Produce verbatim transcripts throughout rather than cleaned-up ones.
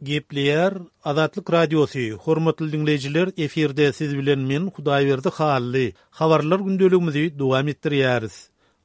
Gepleýär Azatlyk Radiosy, Hormatly diňleýjiler, efirde siz bilen men Hudaýberdi Hally. Habarlar gündeligimizi dowam etdirýäris.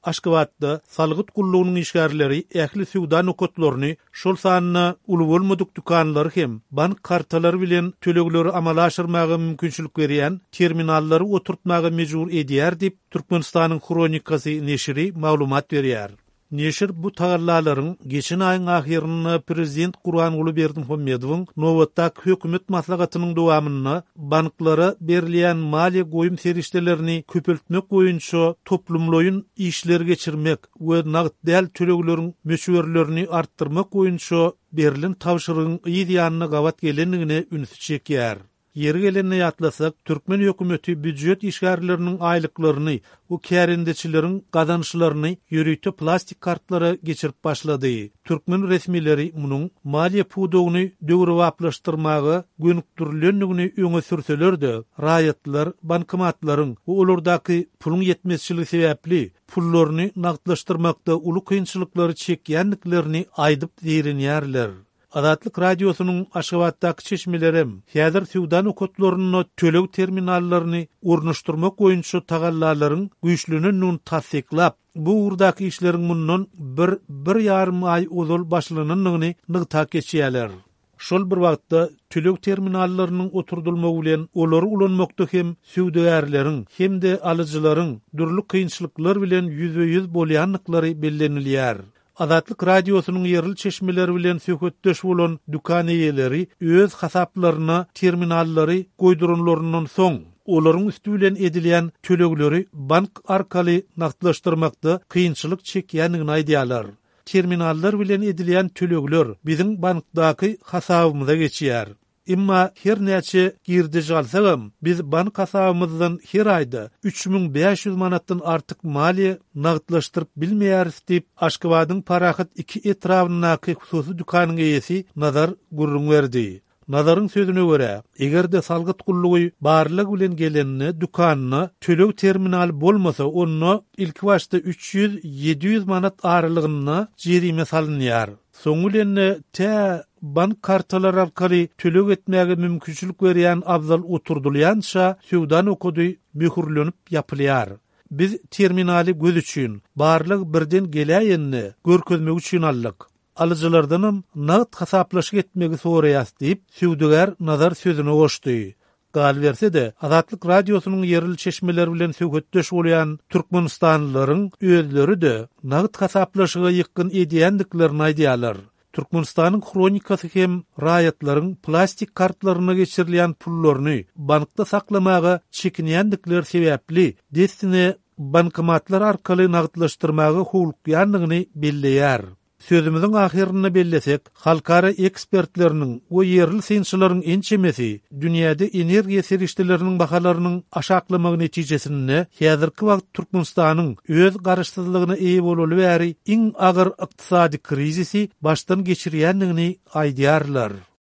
Aşgabatda salgyt gullugynyň işgärleri ähli söwda nokatlaryny, şol sanda uly bolmadyk dükanlary hem bank kartalary bilen tölegleri amala aşyrmaga mümkinçilik berýän terminallary oturtmaga mejbur edýär diýip, Türkmenistanyň Hronikasy neşiri maglumat berýär. Neşir bu tagallalaryň geçen aýyň ahyrynda prezident Gurbanguly Berdimuhamedowyň nobatdaky hökümet maslahatynyň dowamynda banklara berilýän maliýe goýum serişdelerini köpeltmek boýunça toplumlaýyn işleri geçirmek we nagt däl tölegleriň möçberlerini artdyrmak boýunça berlen tabşyrygyň yz ýanyna gabat gelendigine ünsi çekýär. Ýeri gelende ýatlasak, türkmen hökümeti býujet işgärleriniň aýlyklaryny we kärendeçileriň gazançlaryny ýörite plastik kartlara geçirip başlady. Türkmen resmileri munuň maliýe pudagyny döwrebaplaşdyrmaga gönükdirilendigini öňe sürseler-de, raýatlar bankomatlaryň we olardaky puluň ýetmezçiligi sebäpli pullaryny nagtlaşdyrmakda uly kynçylyklary çekýändiklerini aýdyp zeýrenýärler. Azatlyk Radiosynyň Aşgabatdaky çeşmelerem häzir söwda nokatlarynda töleg terminallaryny ornaşdyrmak boýunça tagallalaryň güýçlenendigini tassyklap, bu ugurdaky işleriň mundan bir, bir ýarym aý ozal başlanandygyny nygtap geçýärler. Şol bir wagtda, töleg terminallarynyň oturdylmagy bilen olary ulanmakda hem söwdagärleriň hem-de alyjylaryň dürli kynçylyklar bilen ýüzbe-ýüz bolýandyklary bellenilýär. Azatlyk Radiosynyň ýerli çeşmeleri bilen söhbetdeş bolan dükan eýeleri öz hasaplaryna terminallary goýduranlaryndan soň, olaryň üsti bilen edilýän tölegleri bank arkaly nagtlaşdyrmakda kynçylyk çekýändigini aýdýarlar. Terminallar bilen edilýän tölegler biziň bankdaky hasabymyza geçýär. Emma her näçe girdeji alsagam, biz bank hasabymyzdan her aýda üç müň bäş ýüz manatdan artyk maliýe nagtlaşdyryp bilmeýäris diýip, Aşgabadyň Parahat iki etrabyndaky hususy dükanyň eýesi Nazar gürrüň berdi. Nazaryň sözüne görä, eger-de salgyt gullugy barlag bilen gelende dükanda töleg terminaly bolmasa, onda ilkibaşda üç ýüz, ýedi ýüz manat aralygynda jerime salynýar. Soňy bilen-de tä bank kartalary arkaly töleg etmäge mümkinçilik berýän abzal oturdylýança söwda nokady möhürlenip ýapylýar. Biz terminaly göz üçin, barlag birden geläýende görkezmek üçin aldyk. Alyjylardanam nagt hasaplaşyk etmegi soraýas diýip, söwdagär Nazar sözüne goşdy. Galyberse-de, Azatlyk Radiosynyň ýerli çeşmeler bilen söhbetdeş bolýan türkmenistanlylaryň özleri-de nagt hasaplaşyga ýykgyn edýändiklerini aýdýarlar. Türkmenistanyň Hronikasy hem raýatlaryň plastik kartlaryna geçirilýän pullaryny bankda saklamaga çekinýändikleri sebäpli dessine bankomatlar arkaly nagtlaşdyrmaga howlukýandygyny belleýär. Sözümiziň ahyrynda bellesek, halkara ekspertleriniň we ýerli synçylaryň ençemesi dünýäde energiýa serişdeleriniň bahalarynyň aşaklamagy netijesinde häzirki wagt Türkmenistanyň öz garaşsyzlygyna eýe bolaly bäri iň agyr ykdysady krizisi başdan geçirýändigini aýdýarlar.